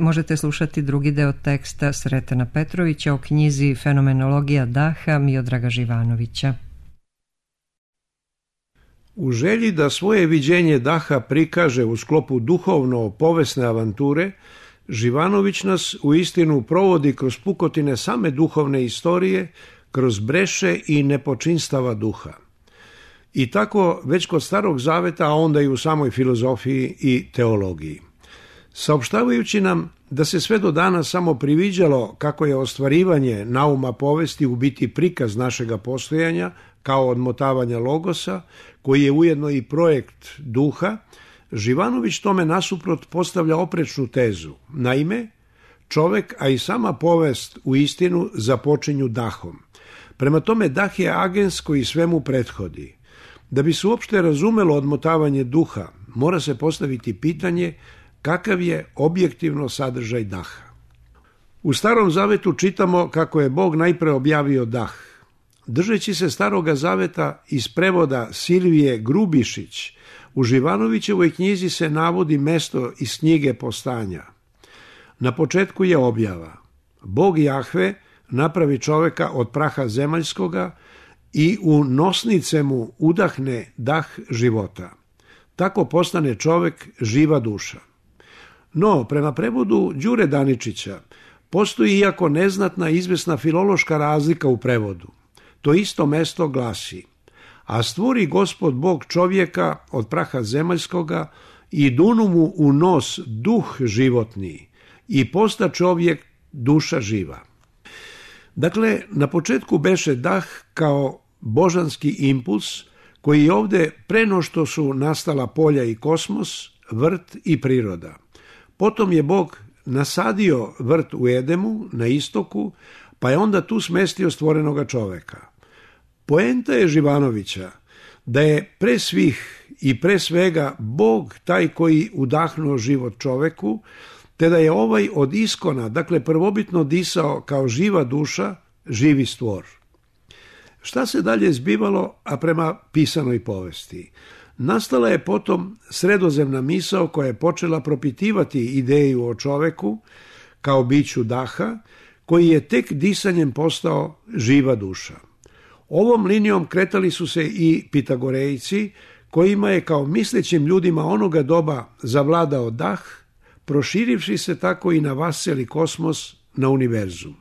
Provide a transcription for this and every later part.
možete slušati drugi deo teksta Sretena Petrovića o knjizi Fenomenologija daha Miodraga Živanovića. U želji da svoje viđenje daha prikaže u sklopu duhovno-povesne avanture, Živanović nas uistinu provodi kroz pukotine same duhovne istorije, kroz breše i nepočinstava duha. I tako već kod Starog Zaveta, a onda i u samoj filozofiji i teologiji. Saopštavajući nam da se sve do danas samo priviđalo kako je ostvarivanje nauma povesti u biti prikaz našega postojanja, kao odmotavanja logosa, koji je ujedno i projekt duha, Živanović tome nasuprot postavlja oprečnu tezu. Naime, čovek, a i sama povest u istinu započinju dahom. Prema tome, dah je agens koji svemu prethodi. Da bi se uopšte razumelo odmotavanje duha, mora se postaviti pitanje kakav je objektivno sadržaj daha. U Starom Zavetu čitamo kako je Bog najpre objavio dah. Držeći se Staroga Zaveta iz prevoda Silvije Grubišić, u Živanovićevoj knjizi se navodi mesto iz knjige Postanja. Na početku je objava. Bog Jahve napravi čoveka od praha zemaljskoga i u nosnice mu udahne dah života. Tako postane čovek živa duša. No, prema prevodu Đure Daničića, postoji iako neznatna izvesna filološka razlika u prevodu. To isto mesto glasi: a stvori Gospod Bog čovjeka od praha zemaljskoga i dunu mu u nos duh životni i posta čovjek duša živa. Dakle, na početku beše dah kao božanski impuls koji je ovde pre no što su nastala polja i kosmos, vrt i priroda. Potom je Bog nasadio vrt u Edemu na istoku, pa je onda tu smestio stvorenoga čoveka. Poenta je Živanovića da je pre svih i pre svega Bog taj koji udahnuo život čoveku, te da je ovaj od iskona, dakle prvobitno disao kao živa duša, živi stvor. Šta se dalje zbivalo, a prema pisanoj povesti? Nastala je potom sredozemna misao koja je počela propitivati ideju o čoveku kao biću daha, koji je tek disanjem postao živa duša. Ovom linijom kretali su se i Pitagorejci, kojima je kao mislećim ljudima onoga doba zavladao dah, proširivši se tako i na vaseli kosmos, na univerzum.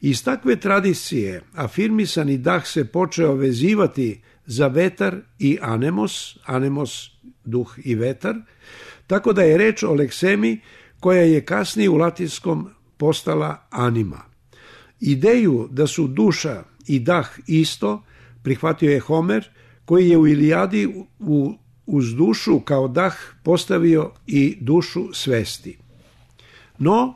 Iz takve tradicije afirmisani dah se počeo vezivati za vetar i anemos, anemos duh i vetar, tako da je reč o leksemi koja je kasnije u latinskom postala anima. Ideju da su duša i dah isto prihvatio je Homer, koji je u Ilijadi uz dušu kao dah postavio i dušu svesti. No,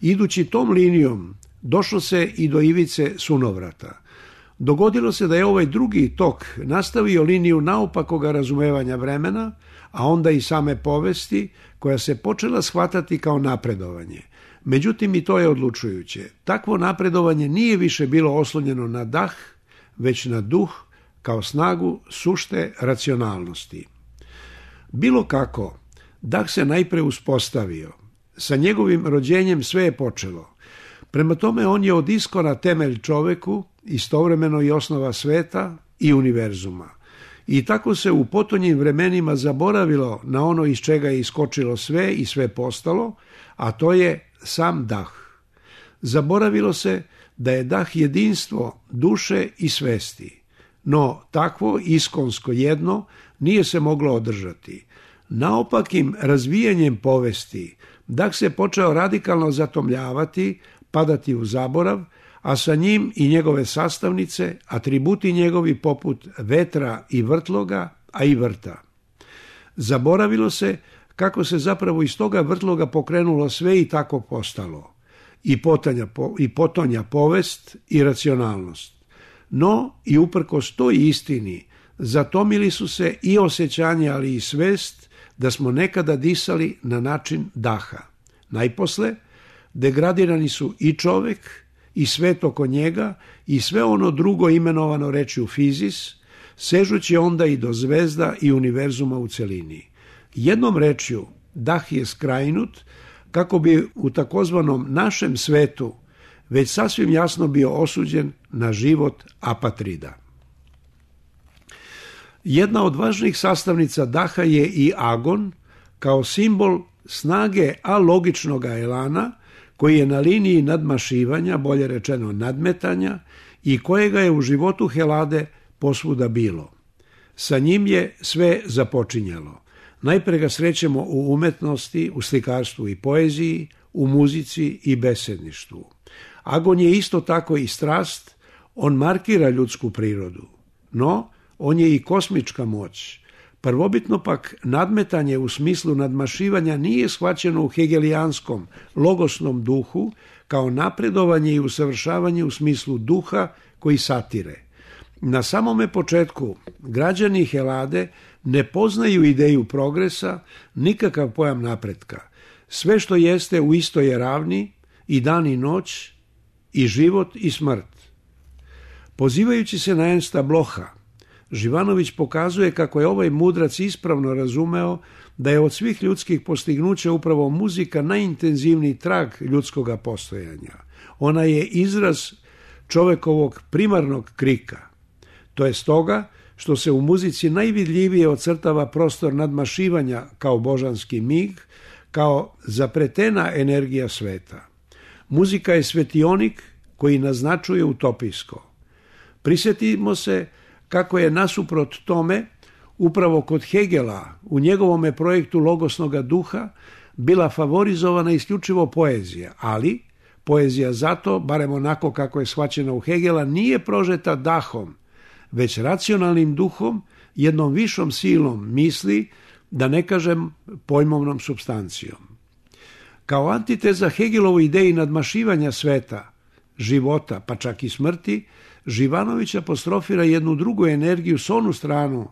idući tom linijom, došlo se i do ivice sunovrata. Dogodilo se da je ovaj drugi tok nastavio liniju naopakoga razumevanja vremena, a onda i same povesti, koja se počela shvatati kao napredovanje. Međutim, i to je odlučujuće. Takvo napredovanje nije više bilo oslonjeno na dah, već na duh kao snagu sušte racionalnosti. Bilo kako, dah se najpre uspostavio. Sa njegovim rođenjem sve je počelo. Prema tome, on je od iskona temelj čoveku, istovremeno i osnova sveta i univerzuma. I tako se u potonjim vremenima zaboravilo na ono iz čega je iskočilo sve i sve postalo, a to je sam dah. Zaboravilo se da je dah jedinstvo duše i svesti, no takvo iskonsko jedno nije se moglo održati. Naopakim razvijanjem povesti, dah se počeo radikalno zatomljavati, padati u zaborav, a sa njim i njegove sastavnice, atributi njegovi poput vetra i vrtloga, a i vrta. Zaboravilo se kako se zapravo iz toga vrtloga pokrenulo sve i tako postalo, i potonja povest i racionalnost. No, i uprkos toj istini, zatomili su se i osjećanje, ali i svest da smo nekada disali na način daha. Najposle, degradirani su i čovek, i svet oko njega, i sve ono drugo imenovano rečju fizis, sežući onda i do zvezda i univerzuma u celini. Jednom rečju, dah je skrajnut, kako bi u takozvanom našem svetu već sasvim jasno bio osuđen na život apatrida. Jedna od važnijih sastavnica daha je i agon, kao simbol snage alogičnog elana, koji je na liniji nadmašivanja, bolje rečeno nadmetanja, i kojega je u životu Helade posvuda bilo. Sa njim je sve započinjalo. Najpre ga srećemo u umetnosti, u slikarstvu i poeziji, u muzici i besedništvu. Agon je isto tako i strast, on markira ljudsku prirodu, no on je i kosmička moć. Prvobitno pak nadmetanje u smislu nadmašivanja nije shvaćeno u hegelijanskom logosnom duhu kao napredovanje i usavršavanje u smislu duha koji satire. Na samome početku građani Helade ne poznaju ideju progresa, nikakav pojam napretka. Sve što jeste u istoj je ravni, i dan i noć, i život i smrt. Pozivajući se na Ernsta Blocha, Živanović pokazuje kako je ovaj mudrac ispravno razumeo da je od svih ljudskih postignuća upravo muzika najintenzivniji trag ljudskoga postojanja. Ona je izraz čovekovog primarnog krika. To je stoga što se u muzici najvidljivije ocrtava prostor nadmašivanja kao božanski mig, kao zapretena energija sveta. Muzika je svetionik koji naznačuje utopijsko. Prisjetimo se kako je nasuprot tome upravo kod Hegela u njegovome projektu logosnoga duha bila favorizovana isključivo poezija, ali poezija zato, barem onako kako je shvaćena u Hegela, nije prožeta dahom, već racionalnim duhom, jednom višom silom misli, da ne kažem pojmovnom supstancijom. Kao antiteza Hegelovoj ideji nadmašivanja sveta, života, pa čak i smrti, Živanović apostrofira jednu drugu energiju s onu stranu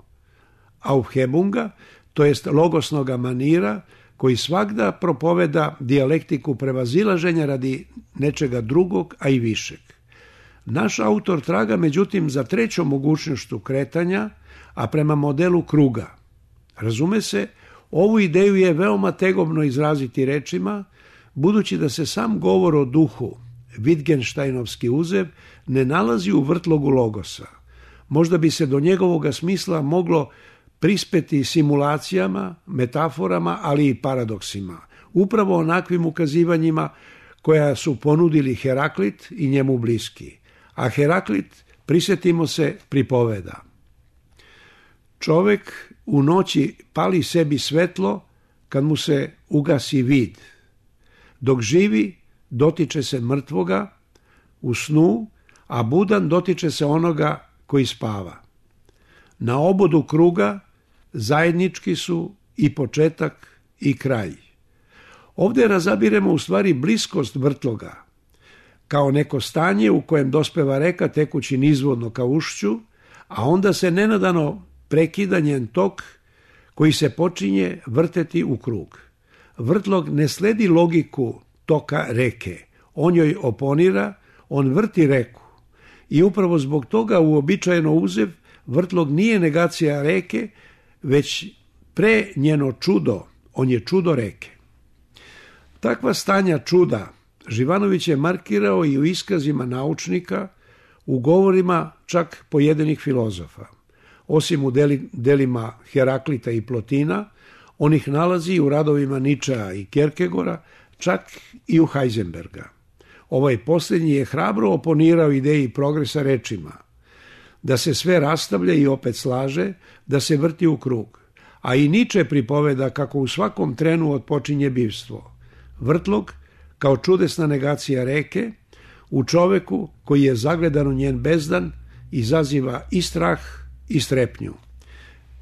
Aufhebunga, to jest logosnoga manira, koji svagda propoveda dijalektiku prevazilaženja radi nečega drugog, a i višeg. Naš autor traga međutim za trećom mogućnošću kretanja, a prema modelu kruga. Razume se, ovu ideju je veoma tegobno izraziti rečima, budući da se sam govor o duhu, Wittgensteinovski uzev, ne nalazi u vrtlogu logosa. Možda bi se do njegovoga smisla moglo prispeti simulacijama, metaforama, ali i paradoksima, upravo onakvim ukazivanjima koja su ponudili Heraklit i njemu bliski. A Heraklit, prisjetimo se, pripoveda: čovek u noći pali sebi svetlo kad mu se ugasi vid. Dok živi, dotiče se mrtvoga u snu, a budan dotiče se onoga koji spava. Na obodu kruga zajednički su i početak i kraj. Ovdje razabiremo u stvari bliskost vrtloga, kao neko stanje u kojem dospeva reka tekući nizvodno ka ušću, a onda se nenadano prekida njen tok koji se počinje vrteti u krug. Vrtlog ne sledi logiku toka reke, on joj oponira, on vrti reku. I upravo zbog toga uobičajeno uzev vrtlog nije negacija reke, već pre njeno čudo, on je čudo reke. Takva stanja čuda Živanović je markirao i u iskazima naučnika, u govorima čak pojedinih filozofa. Osim u delima Heraklita i Plotina, on ih nalazi u radovima Ničea i Kierkegaarda, čak i u Heisenberga. Ovaj posljednji je hrabro oponirao ideji progresa rečima, da se sve rastavlja i opet slaže, da se vrti u krug. A i Niče pripoveda kako u svakom trenu otpočinje bivstvo. Vrtlog, kao čudesna negacija reke, u čoveku koji je zagledan u njen bezdan, izaziva i strah i strepnju.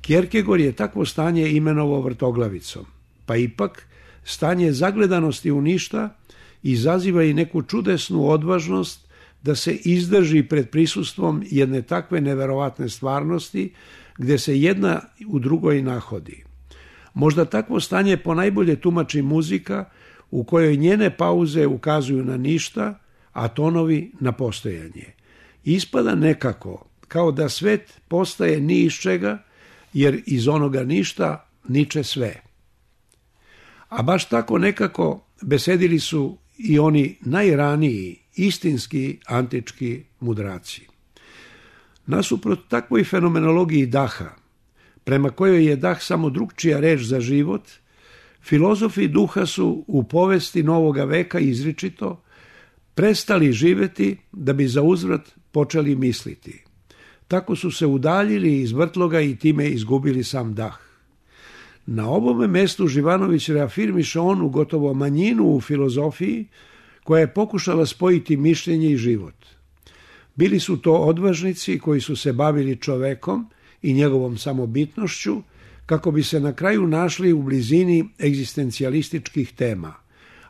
Kierkegaard je takvo stanje imenovao vrtoglavicom, pa ipak stanje zagledanosti u ništa izaziva i neku čudesnu odvažnost da se izdrži pred prisustvom jedne takve neverovatne stvarnosti gdje se jedna u drugoj nahodi. Možda takvo stanje ponajbolje tumači muzika u kojoj njene pauze ukazuju na ništa, a tonovi na postojanje. Ispada nekako kao da svet postaje ni iz čega, jer iz onoga ništa niče sve. A baš tako nekako besedili su i oni najraniji, istinski antički mudraci. Nasuprot takvoj fenomenologiji daha, prema kojoj je dah samo drugčija reč za život, filozofi duha su u povesti novoga veka izričito prestali živjeti da bi zauzvrat počeli misliti. Tako su se udaljili iz vrtloga i time izgubili sam dah. Na ovome mestu Živanović reafirmiše onu gotovo manjinu u filozofiji koja je pokušala spojiti mišljenje i život. Bili su to odvažnici koji su se bavili čovekom i njegovom samobitnošću kako bi se na kraju našli u blizini egzistencijalističkih tema,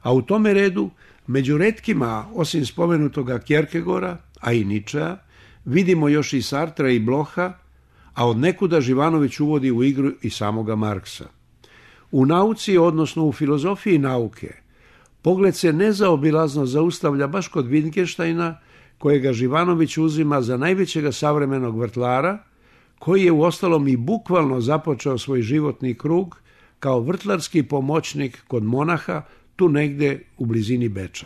a u tome redu među retkima, osim spomenutoga Kjerkegora, a i Ničea, vidimo još i Sartra i Bloha, a od nekuda Živanović uvodi u igru i samoga Marksa. U nauci, odnosno u filozofiji nauke, pogled se nezaobilazno zaustavlja baš kod Wittgensteina, kojega Živanović uzima za najvećega savremenog vrtlara, koji je uostalom i bukvalno započeo svoj životni krug kao vrtlarski pomoćnik kod monaha tu negde u blizini Beča.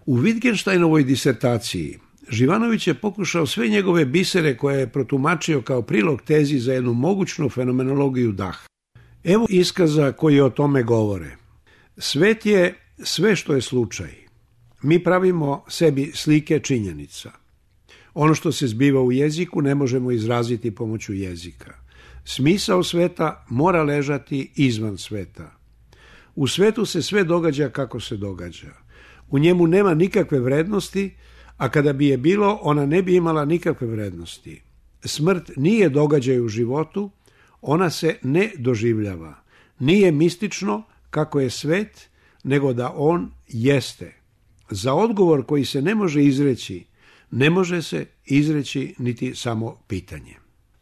U Wittgensteinovoj disertaciji Živanović je pokušao sve njegove bisere koje je protumačio kao prilog tezi za jednu mogućnu fenomenologiju daha. Evo iskaza koji o tome govore. Svet je sve što je slučaj. Mi pravimo sebi slike činjenica. Ono što se zbiva u jeziku ne možemo izraziti pomoću jezika. Smisao sveta mora ležati izvan sveta. U svetu se sve događa kako se događa. U njemu nema nikakve vrednosti, a kada bi je bilo, ona ne bi imala nikakve vrednosti. Smrt nije događaj u životu, ona se ne doživljava. Nije mistično kako je svet, nego da on jeste. Za odgovor koji se ne može izreći, ne može se izreći niti samo pitanje.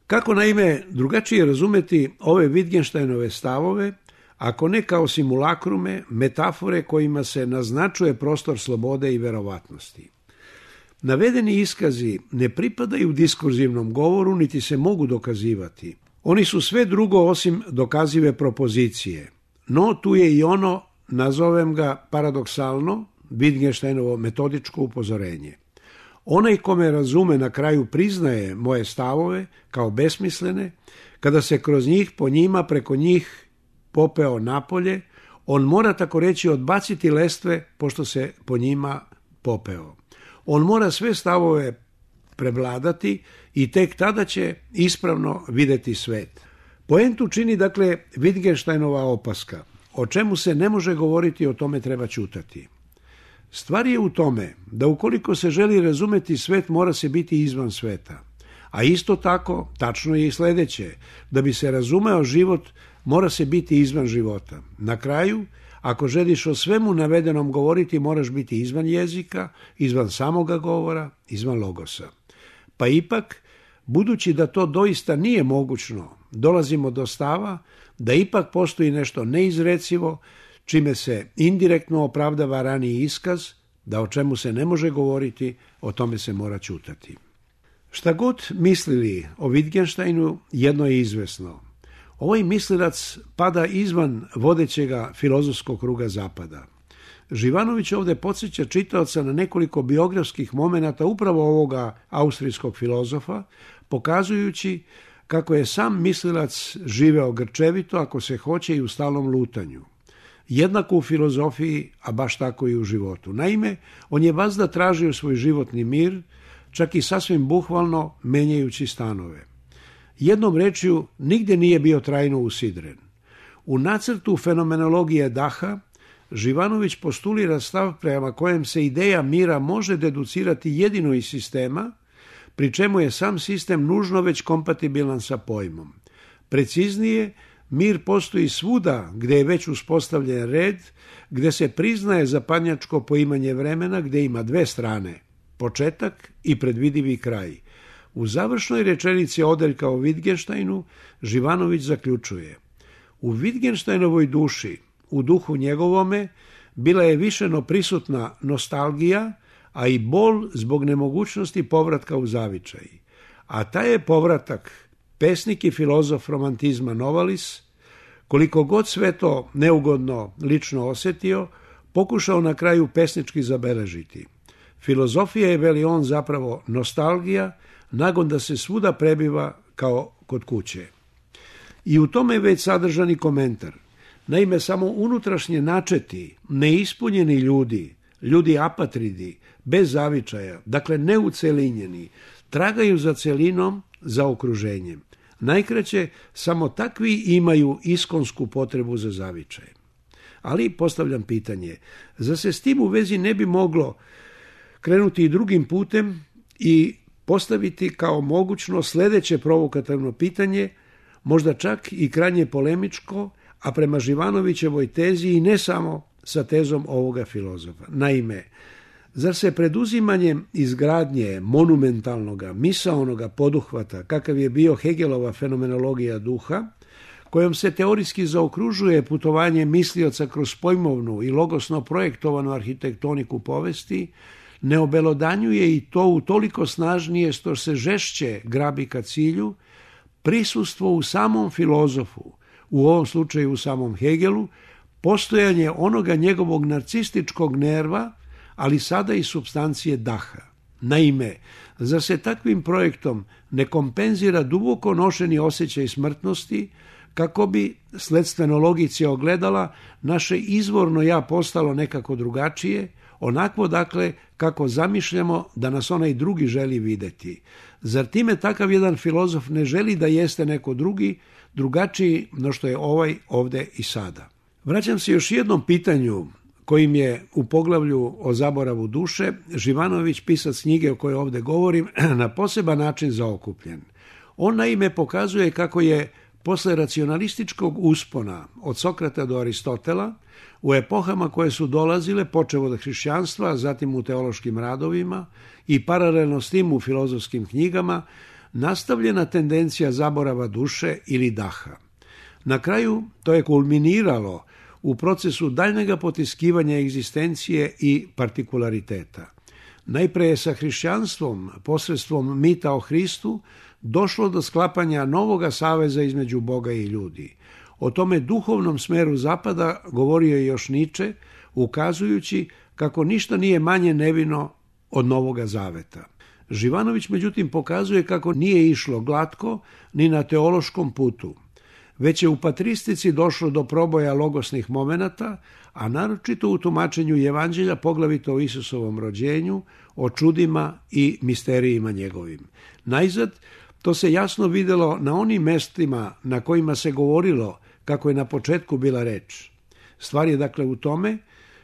Kako naime drugačije razumeti ove Wittgensteinove stavove, ako ne kao simulakrume, metafore kojima se naznačuje prostor slobode i verovatnosti? Navedeni iskazi ne pripadaju diskurzivnom govoru, niti se mogu dokazivati. Oni su sve drugo osim dokazive propozicije. No tu je i ono, nazovem ga paradoksalno, Wittgensteinovo metodičko upozorenje. Onaj ko me razume na kraju priznaje moje stavove kao besmislene, kada se kroz njih, po njima, preko njih popeo napolje, on mora tako reći odbaciti lestve pošto se po njima popeo. On mora sve stavove prevladati i tek tada će ispravno vidjeti svet. Poentu čini dakle Wittgensteinova opaska. O čemu se ne može govoriti, o tome treba ćutati. Stvar je u tome da ukoliko se želi razumeti svet, mora se biti izvan sveta. A isto tako, tačno je i sljedeće, da bi se razumeo život, mora se biti izvan života. Na kraju, ako želiš o svemu navedenom govoriti, moraš biti izvan jezika, izvan samoga govora, izvan logosa. Pa ipak, budući da to doista nije mogućno, dolazimo do stava da ipak postoji nešto neizrecivo, čime se indirektno opravdava raniji iskaz, da o čemu se ne može govoriti, o tome se mora ćutati. Šta god mislili o Wittgensteinu, jedno je izvesno. Ovaj mislilac pada izvan vodećega filozofskog kruga zapada. Živanović ovdje podsjeća čitaoca na nekoliko biografskih momenata upravo ovoga austrijskog filozofa, pokazujući kako je sam mislilac živeo grčevito, ako se hoće, i u stalnom lutanju. Jednako u filozofiji, a baš tako i u životu. Naime, on je vazda tražio svoj životni mir, čak i sasvim bukvalno menjajući stanove. Jednom rečju, nigdje nije bio trajno usidren. U nacrtu fenomenologije daha, Živanović postulira stav prema kojem se ideja mira može deducirati jedino iz sistema, pri čemu je sam sistem nužno već kompatibilan sa pojmom. Preciznije, mir postoji svuda gdje je već uspostavljen red, gdje se priznaje zapadnjačko poimanje vremena, gdje ima dve strane, početak i predvidivi kraj. U završnoj rečenici odeljka o Wittgensteinu Živanović zaključuje: u Wittgensteinovoj duši, u duhu njegovome, bila je višeno prisutna nostalgija, a i bol zbog nemogućnosti povratka u zavičaj. A taj je povratak pesnik i filozof romantizma Novalis, koliko god sve to neugodno lično osjetio, pokušao na kraju pesnički zabeležiti. Filozofija je, veli on, zapravo nostalgija, nagon da se svuda prebiva kao kod kuće. I u tome je već sadržani komentar. Naime, samo unutrašnje načeti, neispunjeni ljudi apatridi, bez zavičaja, dakle neucelinjeni, tragaju za celinom, za okruženjem. Najkraće, samo takvi imaju iskonsku potrebu za zavičajem. Ali postavljam pitanje, zar se s tim u vezi ne bi moglo krenuti i drugim putem i postaviti kao mogućno sljedeće provokativno pitanje, možda čak i krajnje polemičko, a prema Živanovićevoj tezi i ne samo sa tezom ovoga filozofa. Naime, zar se preduzimanjem izgradnje monumentalnoga, misaonoga poduhvata, kakav je bio Hegelova fenomenologija duha, kojom se teorijski zaokružuje putovanje mislioca kroz pojmovnu i logosno projektovanu arhitektoniku povesti, ne obelodanjuje i to utoliko snažnije što se žešće grabi ka cilju, prisustvo u samom filozofu, u ovom slučaju u samom Hegelu, postojanje onoga njegovog narcističkog nerva, ali sada i supstancije daha. Naime, zar se takvim projektom ne kompenzira duboko nošeni osjećaj smrtnosti, kako bi, sledstveno logici ogledala, naše izvorno ja postalo nekako drugačije, onakvo dakle kako zamišljamo da nas onaj drugi želi videti. Zar time takav jedan filozof ne želi da jeste neko drugačiji no što je ovaj ovde i sada? Vraćam se još jednom pitanju kojim je u poglavlju o zaboravu duše Živanović, pisac knjige o kojoj ovde govorim, na poseban način zaokupljen. On naime pokazuje kako je posle racionalističkog uspona od Sokrata do Aristotela, u epohama koje su dolazile, počev od hrišćanstva, zatim u teološkim radovima i paralelno s tim u filozofskim knjigama, nastavljena tendencija zaborava duše ili daha. Na kraju to je kulminiralo u procesu daljnjega potiskivanja egzistencije i partikulariteta. Najpre je sa hrišćanstvom, posredstvom mita o Hristu, došlo do sklapanja novoga saveza između Boga i ljudi. O tome duhovnom smeru zapada govorio je još Niče, ukazujući kako ništa nije manje nevino od Novoga zaveta. Živanović međutim pokazuje kako nije išlo glatko ni na teološkom putu, već je u patristici došlo do proboja logosnih momenata, a naročito u tumačenju Evanđelja, poglavito o Isusovom rođenju, o čudima i misterijima njegovim. Najzad, to se jasno vidjelo na onim mestima na kojima se govorilo kako je na početku bila reč. Stvar je dakle u tome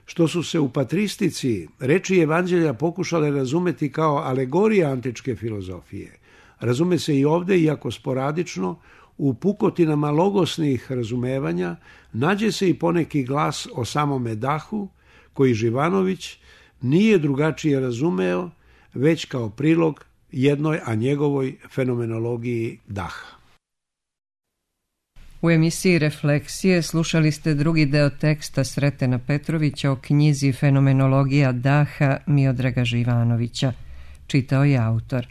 što su se u patristici reči Evanđelja pokušale razumeti kao alegorija antičke filozofije. Razume se i ovde, iako sporadično, u pukotinama logosnih razumevanja nađe se i poneki glas o samome dahu, koji Živanović nije drugačije razumeo, već kao prilog jednoj, a njegovoj fenomenologiji daha. U emisiji Refleksije slušali ste drugi deo teksta Sretena Petrovića o knjizi Fenomenologija daha Miodraga Živanovića. Čitao je autor.